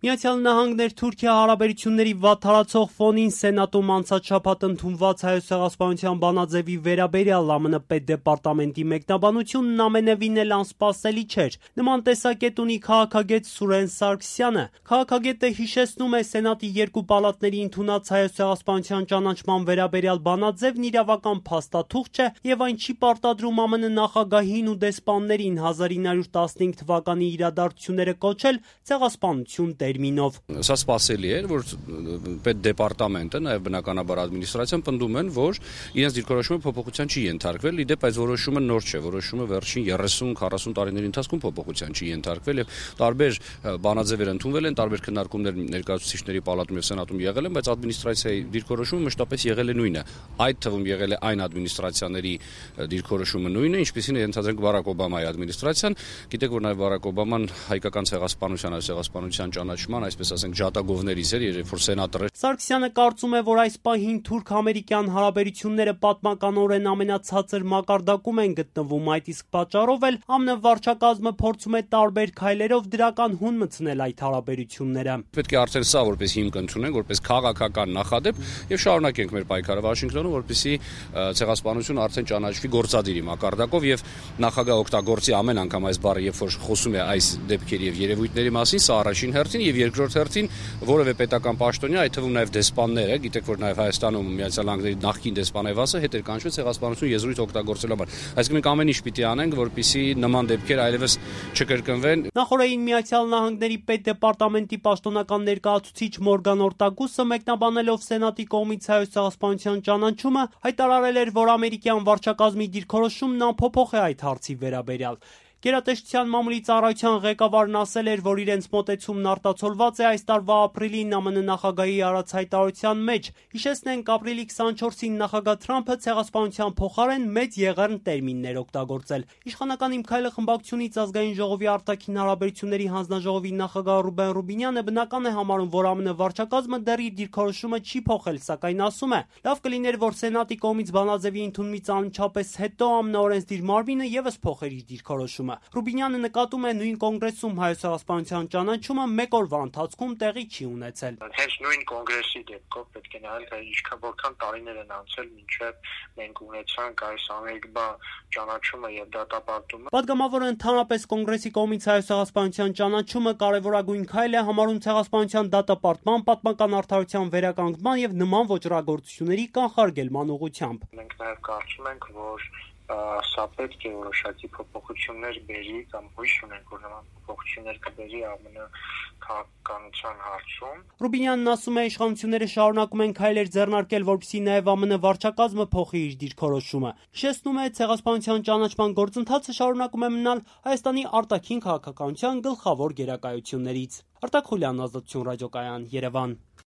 Միացյալ Նահանգներ Թուրքիա հարաբերությունների վատթարացող ֆոնին Սենատում անցած շաբաթ ընդունված Հայոց ցեղասպանության բանաձևի վերաբերյալ ԱՄՆ պետդեպարտամենտի մեկնաբանությունն ամենևին էլ անսպասելի չէր։ Նման տեսակետ ունի քաղաքագետ Սուրեն Սարգսյանը։ Քաղաքագետը հիշեցնում է Սենատի երկու պալատների ընդունած Հայոց ցեղասպանության ճանաչման վերաբերյալ բանաձևն իրավական փաստաթուղթ չէ եւ այն չի պարտադրում ԱՄՆ նախագահին ու դեսպաններին 1915 թվականի իրադարձությունները կոչել ցեղասպանություն տերմինով։ Սա սպասելի էր, որ պետդեպարտամենտը, նաև բնականաբար ադմինիստրացիան պնդում են, որ իրենց դիրքորոշումը փոփոխության չի ենթարկվել, իդեպ այս որոշումը նոր չէ, որոշումը վերջին 30-40 տարիների ընթացքում փոփոխության չի ենթարկվել եւ տարբեր բանաձևեր ընդունվել են, տարբեր քննարկումներ ներկայացուցիչների պալատում եւ սենատում եղել են, բայց ադմինիստրացիայի դիրքորոշումը մշտապես եղել է նույնը։ Այդ թվում եղել է այն ադմինիստրացիաների դիրքորոշումը նույնը, ինչպեսին է ենթադրենք Բարակ Օբամայի ադմինիստրացիան։ Գիտեք, որ նաև Բարակ Օբաման հայկական ցեղասպանության ճանաչման, այսպես ասենք, ջատագովներից էր, երբ որ սենատոր էր։ Սարգսյանը կարծում է, որ այս պահին թուրք-ամերիկյան հարաբերությունները պատմականորեն ամենացածր մակարդակում են գտնվում, այդ իսկ պատճառով էլ ԱՄՆ վարչակազմը փորձում է տարբեր քայլերով դրական հուն մտցնել այդ հարաբերությունները։ Պետք է արդեն սա որպես հիմք ընդունենք, որպես քաղաքական նախադեպ եւ շարունակենք մեր պայքարը Վաշինգտոնում, որպեսզի ցեղասպանությունը արդեն ճանաչվի գործադիրի մակարդակով եւ նախագահ օգտագործի ամեն անգամ այս բառը, երբ որ խոսում է այս դեպքերի եւ երևույթների մասին, սա առաջին հերթին եւ երկրորդ հերթին որևէ պետական պաշտոնյա, այդ թվում նաեւ դեսպանները, գիտեք, որ նաեւ Հայաստանում Միացյալ Նահանգների նախկին դեսպանևասը հետ էր կանչվել ցեղասպանություն եզրույթ օգտագործելու համար։ Այսինքն մենք ամեն ինչ պիտի անենք, որպեսզի նման դեպքեր այլևս չկրկնվեն։ Նախորդին Միացյալ Նահանգների պետդեպարտամենտի պաշտոնական ներկայացուցիչ Մորգան Օրտագուսը մեկնաբանելով Սենատի կողմից Հայոց ցեղասպանության ճանաչումը հայտարարել էր, որ ամերիկյան վարչակազմի դիրքորոշումն անփոփոխ է այդ հարցի վերաբերյալ։ Գերատեսչության մամուլի ծառայության ղեկավարն ասել էր, որ իրենց մոտեցումն արտացոլված է այս տարվա ապրիլին ԱՄՆ նախագահի արած հայտարարության մեջ։ Հիշեցնենք, ապրիլի 24-ին նախագահ Թրամփը ցեղասպանության փոխարեն մեծ եղեռն տերմիններ օգտագործել։ Իշխանական Իմ քայլը խմբակցությունից Ազգային ժողովի արտաքին հարաբերությունների հանձնաժողովի նախագահ Ռուբեն Ռուբինյանը բնական է համարում, որ ԱՄՆ վարչակազմը դեռ իր դիրքորոշումը չի փոխել, սակայն ասում է, լավ կլիներ, որ Սենատի կողմից բանաձևի ընդունումից անմիջապես հետո ԱՄՆ օրենսդիր մարմինը եւս փոխեր իր դիրքորոշումը։ Ռուբինյանը նկատում է նույն կոնգրեսում Հայոց ցեղասպանության ճանաչումը մեկ օրվա ընթացքում տեղի չի ունեցել։ Հենց նույն կոնգրեսի դեպքով պետք է նայել, թե որքան տարիներ են անցել մինչև մենք ունեցանք այս ամերիկյա ճանաչումը եւ դատապարտումը։ Պատգամավորը ընդհանրապես կոնգրեսի կողմից Հայոց ցեղասպանության ճանաչումը կարևորագույն քայլ է համարում ցեղասպանության դատապարտման, պատմական արդարության վերականգնման եւ նման ոճրագործությունների կանխարգելման ուղղությամբ։ Մենք նաեւ կարծում ենք, որ սա պետք է որոշակի փոփոխություններ բերի կամ հույս ունենք, որ նման փոփոխություններ կբերի ԱՄՆ քաղաքականության հարցում։ Ռուբինյանն ասում է, իշխանությունները շարունակում են քայլեր ձեռնարկել, որպեսզի նաև ԱՄՆ վարչակազմը փոխի իր դիրքորոշումը։ Հիշեցնում է, ցեղասպանության ճանաչման գործընթացը շարունակում է մնալ Հայաստանի արտաքին քաղաքականության գլխավոր գերակայություններից։ Արտակ Խուլյան, Ազատություն ռադիոկայան, Երևան։